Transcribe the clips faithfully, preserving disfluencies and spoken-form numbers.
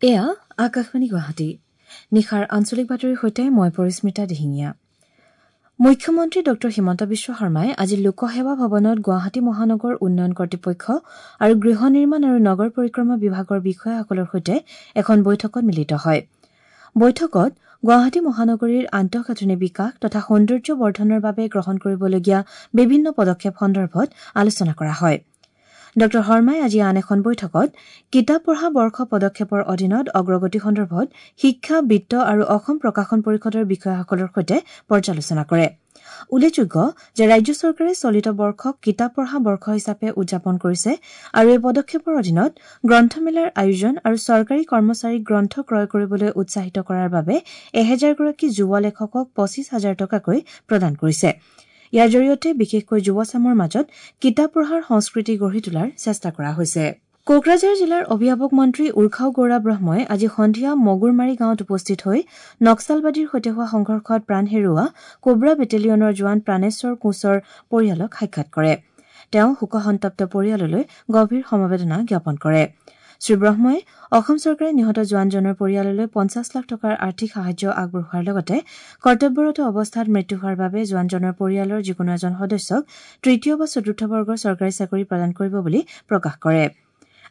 এয়া আকাশবাণী গুৱাহাটী। নিশাৰ আঞ্চলিক বাতৰিৰ সৈতে মই পৰিস্মিতা দিহিঙীয়া। মুখ্যমন্ত্ৰী ডঃ হিমন্ত বিশ্ব শৰ্মাই আজি লোকসেৱা ভৱনত গুৱাহাটী মহানগৰ উন্নয়ন কৰ্তৃপক্ষ আৰু গৃহ নিৰ্মাণ আৰু নগৰ পৰিক্ৰমা বিভাগৰ বিষয়াসকলৰ সৈতে এখন বৈঠকত মিলিত হয়। বৈঠকত গুৱাহাটী মহানগৰীৰ আন্তঃগাঁথনি বিকাশ তথা সৌন্দৰ্য বৰ্ধনৰ বাবে গ্ৰহণ কৰিবলগীয়া বিভিন্ন পদক্ষেপ সন্দৰ্ভত আলোচনা কৰা হয়। ডঃ শৰ্মাই আজি আন এখন বৈঠকত কিতাপ পঢ়া বৰ্ষ পদক্ষেপৰ অধীনত অগ্ৰগতি সন্দৰ্ভত শিক্ষা, বিত্ত আৰু অসম প্ৰকাশন পৰিষদৰ বিষয়াসকলৰ সৈতে পৰ্যালোচনা কৰে। উল্লেখযোগ্য যে ৰাজ্য চৰকাৰে চলিত বৰ্ষক কিতাপ পঢ়া বৰ্ষ হিচাপে উদযাপন কৰিছে আৰু এই পদক্ষেপৰ অধীনত গ্ৰন্থমেলাৰ আয়োজন আৰু চৰকাৰী কৰ্মচাৰীক গ্ৰন্থ ক্ৰয় কৰিবলৈ উৎসাহিত কৰাৰ বাবে এহেজাৰগৰাকী যুৱ লেখকক পঁচিছ হাজাৰ টকাকৈ প্ৰদান কৰিছে। ইয়াৰ জৰিয়তে বিশেষকৈ যুৱচামৰ মাজত কিতাপ পঢ়াৰ সংস্কৃতি গঢ়ি তোলাৰ চেষ্টা কৰা হৈছে। কোকৰাঝাৰ জিলাৰ অভিভাৱক মন্ত্ৰী উৰ্খাও গৌৰা ব্ৰহ্মই আজি সন্ধিয়া মগুৰমাৰী গাঁৱত উপস্থিত হৈ নক্সালবাদীৰ সৈতে হোৱা সংঘৰ্ষত প্ৰাণ হেৰুওৱা কোব্ৰা বেটেলিয়নৰ জোৱান প্ৰাণেশ্বৰ কোঁচৰ পৰিয়ালক সাক্ষাৎ কৰে। তেওঁ শোকসন্তপ্ত পৰিয়াললৈ গভীৰ সমবেদনা জ্ঞাপন কৰে। শ্ৰীব্ৰহ্মই অসম চৰকাৰে নিহত জোৱানজনৰ পৰিয়াললৈ পঞ্চাছ লাখ টকাৰ আৰ্থিক সাহায্য আগবঢ়োৱাৰ লগতে কৰ্তব্যৰত অৱস্থাত মৃত্যু হোৱাৰ বাবে জোৱানজনৰ পৰিয়ালৰ যিকোনো এজন সদস্যক তৃতীয় বা চতুৰ্থ বৰ্গৰ চৰকাৰী চাকৰি প্ৰদান কৰিব বুলি প্ৰকাশ কৰে।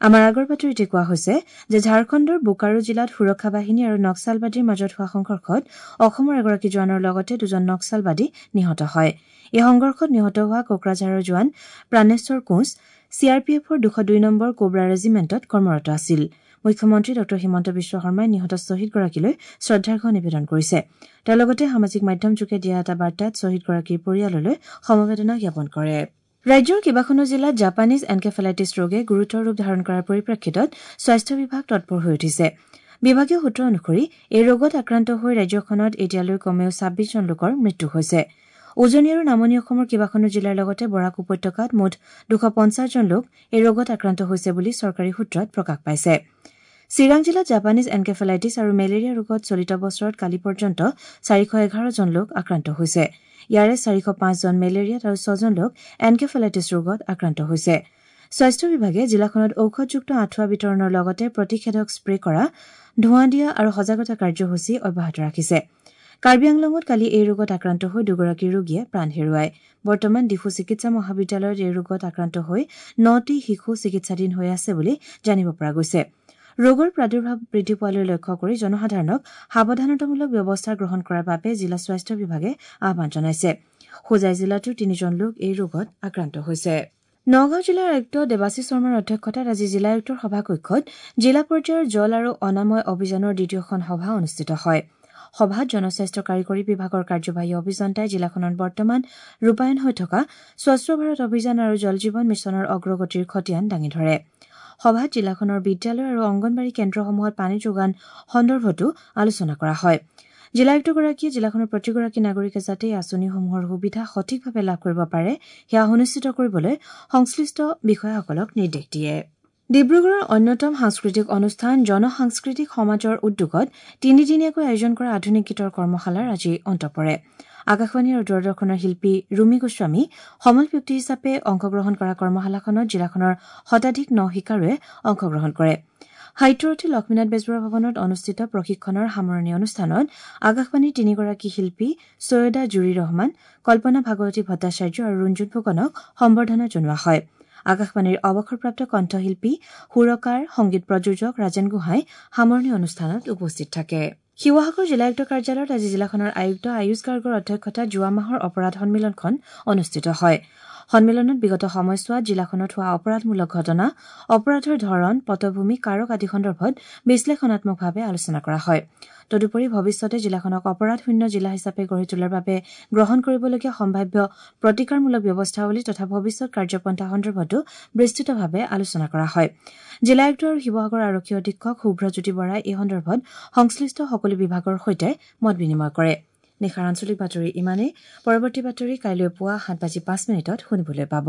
আমাৰ আগৰ বাতৰিতে কোৱা হৈছে যে ঝাৰখণ্ডৰ বোকাৰো জিলাত সুৰক্ষা বাহিনী আৰু নক্সালবাদীৰ মাজত হোৱা সংঘৰ্ষত অসমৰ এগৰাকী জোৱানৰ লগতে দুজন নক্সালবাদী নিহত হয়। এই সংঘৰ্ষত নিহত হোৱা কোকৰাঝাৰৰ জোৱান Praneswar Koch C R P এফৰ দুশ দুই নম্বৰ কোব্ৰা ৰেজিমেণ্টত কৰ্মৰত আছিল। মুখ্যমন্ত্ৰী ডঃ হিমন্ত বিশ্ব শৰ্মাই নিহত শ্বহীদগৰাকীলৈ শ্ৰদ্ধাৰ্ঘ নিবেদন কৰিছে। তেওঁ লগতে সামাজিক মাধ্যমযোগে দিয়া এটা বাৰ্তাত শ্বহীদগৰাকীৰ পৰিয়াললৈ সমবেদনা জ্ঞাপন কৰে। ৰাজ্যৰ কেইবাখনো জিলাত জাপানীজ এনকেফেলাইটিছ ৰোগে গুৰুতৰ ৰূপ ধাৰণ কৰাৰ পৰিপ্ৰেক্ষিতত স্বাস্থ্য বিভাগ তৎপৰ হৈ উঠিছে। বিভাগীয় সূত্ৰ অনুসৰি এই ৰোগত আক্ৰান্ত হৈ ৰাজ্যখনত এতিয়ালৈ কমেও ছাব্বিছজন লোকৰ মৃত্যু হৈছে। উজনি আৰু নামনি অসমৰ কেইবাখনো জিলাৰ লগতে বৰাক উপত্যকাত মুঠ দুশ পঞ্চাছজন লোক এই ৰোগত আক্ৰান্ত হৈছে বুলি চৰকাৰী সূত্ৰত প্ৰকাশ পাইছে। চিৰাং জিলাত জাপানীজ এনকেফেলাইটিছ আৰু মেলেৰিয়া ৰোগত চলিত বছৰত কালি পৰ্যন্ত চাৰিশ এঘাৰজন লোক আক্ৰান্ত হৈছে। ইয়াৰে চাৰিশ পাঁচজন মেলেৰিয়াত আৰু ছজন লোক এনকেফেলাইটিছ ৰোগত আক্ৰান্ত হৈছে। স্বাস্থ্য বিভাগে জিলাখনত ঔষধযুক্ত আঁঠুৱা বিতৰণৰ লগতে প্ৰতিষেধক স্প্ৰে কৰা, ধোঁৱা দিয়া আৰু সজাগতা কাৰ্যসূচী অব্যাহত ৰাখিছে। কাৰ্বি আংলঙত কালি এই ৰোগত আক্ৰান্ত হৈ দুগৰাকী ৰোগীয়ে প্ৰাণ হেৰুৱায়। বৰ্তমান ডিফু চিকিৎসা মহাবিদ্যালয়ত এই ৰোগত আক্ৰান্ত হৈ নটি শিশু চিকিৎসাধীন হৈ আছে বুলি জানিব পৰা গৈছে। ৰোগৰ প্ৰাদুৰ্ভাৱ বৃদ্ধি পোৱালৈ লক্ষ্য কৰি জনসাধাৰণক সাৱধানতামূলক ব্যৱস্থা গ্ৰহণ কৰাৰ বাবে জিলা স্বাস্থ্য বিভাগে আহ্বান জনাইছে। হোজাই জিলাতো তিনিজন লোক এই ৰোগত আক্ৰান্ত হৈছে। নগাঁও জিলাৰ আয়ুক্ত দেৱাশী শৰ্মাৰ অধ্যক্ষতাত আজি জিলা আয়ুক্তৰ সভাকক্ষত জিলা পৰ্যায়ৰ জল আৰু অনাময় অভিযানৰ দ্বিতীয়খন সভা অনুষ্ঠিত হয়। সভাত জনস্বাস্থ্য কাৰিকৰী বিভাগৰ কাৰ্যবাহী অভিযন্তাই জিলাখনত বৰ্তমান ৰূপায়ণ হৈ থকা স্বচ্ছ ভাৰত অভিযান আৰু জল জীৱন মিছনৰ অগ্ৰগতিৰ খতিয়ান দাঙি ধৰে। সভাত জিলাখনৰ বিদ্যালয় আৰু অংগনবাড়ী কেন্দ্ৰসমূহত পানী যোগান সন্দৰ্ভতো আলোচনা কৰা হয়। জিলা আয়ুক্তগৰাকীয়ে জিলাখনৰ প্ৰতিগৰাকী নাগৰিকে যাতে এই আঁচনিসমূহৰ সুবিধা সঠিকভাৱে লাভ কৰিব পাৰে সেয়া সুনিশ্চিত কৰিবলৈ সংশ্লিষ্ট বিষয়াসকলক নিৰ্দেশ দিয়ে। ডিব্ৰুগড়ৰ অন্যতম সাংস্কৃতিক অনুষ্ঠান জনসাংস্কৃতিক সমাজৰ উদ্যোগত তিনিদিনীয়াকৈ আয়োজন কৰা আধুনিক গীতৰ কৰ্মশালাৰ আজি অন্ত পৰে। আকাশবাণী আৰু দূৰদৰ্শনৰ শিল্পী ৰুমি গোস্বামী সমল ব্যক্তি হিচাপে অংশগ্ৰহণ কৰা কৰ্মশালাখনত জিলাখনৰ শতাধিক ন শিকাৰুৱে অংশগ্ৰহণ কৰে। সাহিত্যৰথী লক্ষ্মীনাথ বেজবৰুৱা ভৱনত অনুষ্ঠিত প্ৰশিক্ষণৰ সামৰণি অনুষ্ঠানত আকাশবাণীৰ তিনিগৰাকী শিল্পী চৈয়দা জুৰি ৰহমান, কল্পনা ভাগৱতী ভট্টাচাৰ্য আৰু ৰঞ্জুন ফুকনক সম্বৰ্ধনা জনোৱা হয়। আকাশবাণীৰ অৱসৰপ্ৰাপ্ত কণ্ঠশিল্পী, সুৰকাৰ, সংগীত প্ৰযোজক ৰাজেন গোহাঁই সামৰণি অনুষ্ঠানত উপস্থিত থাকে। শিৱসাগৰ জিলা আয়ুক্ত কাৰ্যালয়ত আজি জিলাখনৰ আয়ুক্ত আয়ুষ গাৰ্গৰ অধ্যক্ষতাত যোৱা মাহৰ অপৰাধ সন্মিলনখন অনুষ্ঠিত হয়। সন্মিলনত বিগত সময়ছোৱাত জিলাখনত হোৱা অপৰাধমূলক ঘটনা, অপৰাধৰ ধৰণ, পটভূমি, কাৰক আদি সন্দৰ্ভত বিশ্লেষণাত্মকভাৱে আলোচনা কৰা হয়। তদুপৰি ভৱিষ্যতে জিলাখনক অপৰাধশূন্য জিলা হিচাপে গঢ়ি তোলাৰ বাবে গ্ৰহণ কৰিবলগীয়া সম্ভাৱ্য প্ৰতিকাৰমূলক ব্যৱস্থাৱলী তথা ভৱিষ্যত কাৰ্যপন্থা সন্দৰ্ভতো বিস্তৃতভাৱে আলোচনা কৰা হয়। জিলা আয়ুক্ত আৰু শিৱসাগৰ আৰক্ষী অধীক্ষক শুভ্ৰজ্যোতি বৰাই এই সন্দৰ্ভত সংশ্লিষ্ট সকলো বিভাগৰ সৈতে মত বিনিময় কৰে। নিশাৰ আঞ্চলিক বাতৰি ইমানেই। পৰৱৰ্তী বাতৰি কাইলৈ পুৱা সাত বাজি পাঁচ মিনিটত শুনিবলৈ পাব।